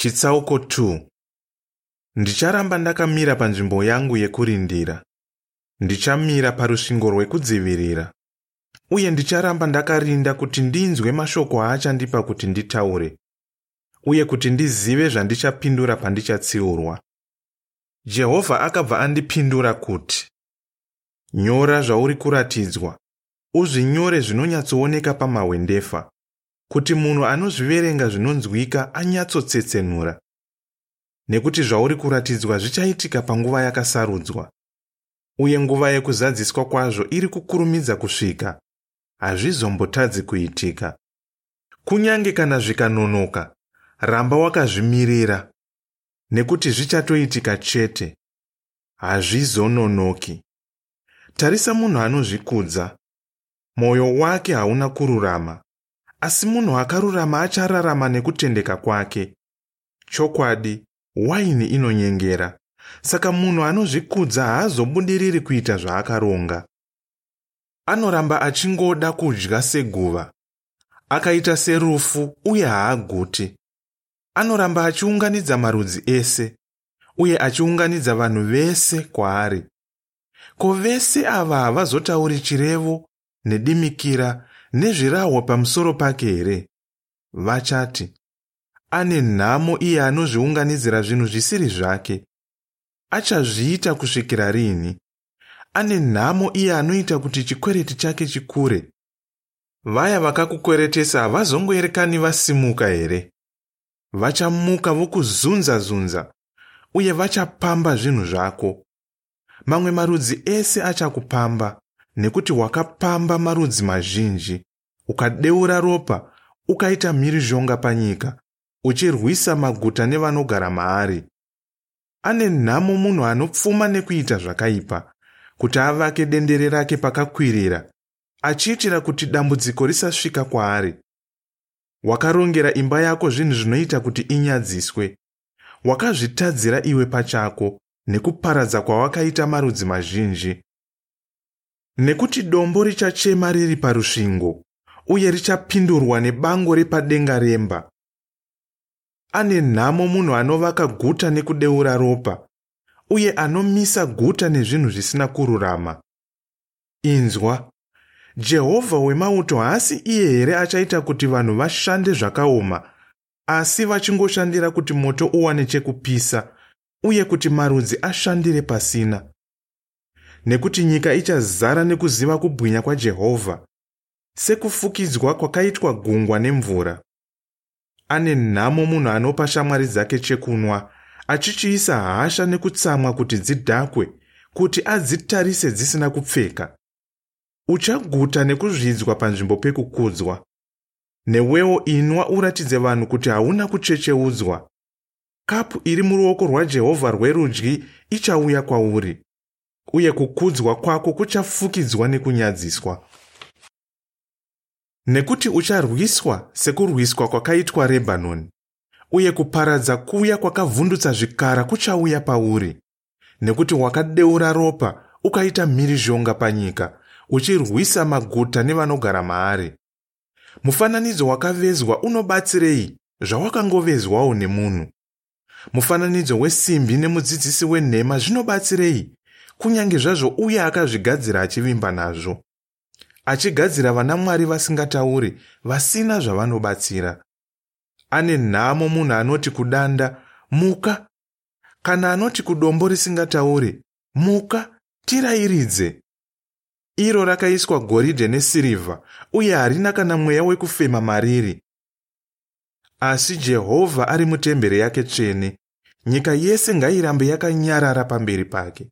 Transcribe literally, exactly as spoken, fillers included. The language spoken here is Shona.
Chitsauko two. Ndicharamba ndakamira panzvimbo yangu yekurindira. Ndichamira parusvingo rwekudzivirira. Uye ndicharamba ndakarinda kuti ndinzwe mashoko aachandipa kuti nditaure, uye kuti ndizive zvandichapindura pandichatsiurwa. Jehovha akabva andipindura kuti, nyora zvauri kuratidzwa, uzvinyore zvinonyatsooneka pamahwendefa, kuti munhu anozviverenga zvinonzwika anyatsotsetsenura. Nekuti zvauri kuratidzwa zvichaitika panguva yakasarudzwa, uye nguva yekuzadziswa kwazvo iri kukurumidza kusvika, hazvizombotadzi kuitika. Kunyange kana zvikanonoka, ramba wakazvimirira, nekuti zvichatoitika chete, hazvizononoki. Tarisa munhu anozvikudza, mwoyo wake hauna kururama, asi munhu akarurama achararama nekutendeka kwake. Chokwadi, waini inonyengera, saka munhu anozvikudza haazobudiriri kuita zvaakaronga. Anoramba achingoda kudya seguva, akaita serufu uye haaguti. Anoramba achiunganidza marudzi ese, uye achiunganidza vanhu vese kwaari. Ko vese ava havazotauri chirevo nedimikira nezvirahwa pamusoro pake here? Vachati, ane nhamo iye anozviunganidzira zvinhu zvisiri zvake. Achazviita kusvikira rini? Ane nhamo iye anoita kuti chikwereti chake chikure. Vaya vakakukweretesa havazongoerekani vasimuka here? Vachamuka vokuzunza-zunza, uye vachapamba zvinhu zvako. Mamwe marudzi ese achakupamba, nekuti wakapamba marudzi mazhinji, ukadeura ropa, ukaita mhirizhonga panyika, uchirwisa maguta nevanogara maari. Ane nhamo munhu anopfuma nekuita zvakaipa, kuti avake dendere rake pakakwirira, achiitira kuti dambudziko risasvika kwaari. Wakarongera imba yako zvinhu zvinoita kuti inyadziswe. Wakazvitadzira iwe pachako nekuparadza kwawakaita marudzi mazhinji. Nekuti dombo richachema riri parusvingo, uye richapindurwa nebango repadenga remba. Ane nhamo munhu anovaka guta nekudeura ropa, uye anomisa guta nezvinhu zvisina kururama. Inzwa, Jehovha wemauto haasi iye here achaita kuti vanhu vashande zvakaoma, asi vachingoshandira kuti moto uwane chekupisa, uye kuti marudzi ashandire pasina? Nekuti nyika ichazara nekuziva kubwinya kwaJehovha, sekufukidzwa kwakaitwa gungwa nemvura. Ane nhamo munhu anopa shamwari dzake chekunwa, achichiisa hasha nekutsamwa kuti dzidhakwe, kuti adzitarise dzisina kupfeka. Uchaguta nekuzvidzwa panzvimbo pekukudzwa. Newewo inwa uratidze vanhu kuti hauna kuchecheudzwa. Kapu iri muruoko rwaJehovha rwerudyi ichauya kwauri, uye kukudzwa kwako kuchafukidzwa nekunyadziswa. Nekuti ucharwiswa sekurwiswa kwakaitwa Rebhanoni, uye kuparadza kuya kwakavhundutsa zvikara kuchauya pauri. Nekuti wakadeura ropa ukaita mhirizhonga panyika, uchirwisa maguta nevanogara maari. Mufananidzo wakavezwa unobatsirei zvawakangovezwawo nemunhu? Mufananidzo wesimbi nemudzidzisi wenhema zvinobatsirei, kunyange zvazvo uye akazvigadzira achivimba nazvo, achigadzira vanamwari vasingatauri, vasina zvavanobatsira? Ane nhamo munhu anoti kudanda, muka, kana anoti kudombo risingatauri, muka, tirayiridze. Iro rakaiswa goridhe nesirivha, uye harina kana mweya wekufema mariri. Asi Jehovha ari mutemberi yake tsvene, nyika yese ngairambe yakanyarara pamberi pake.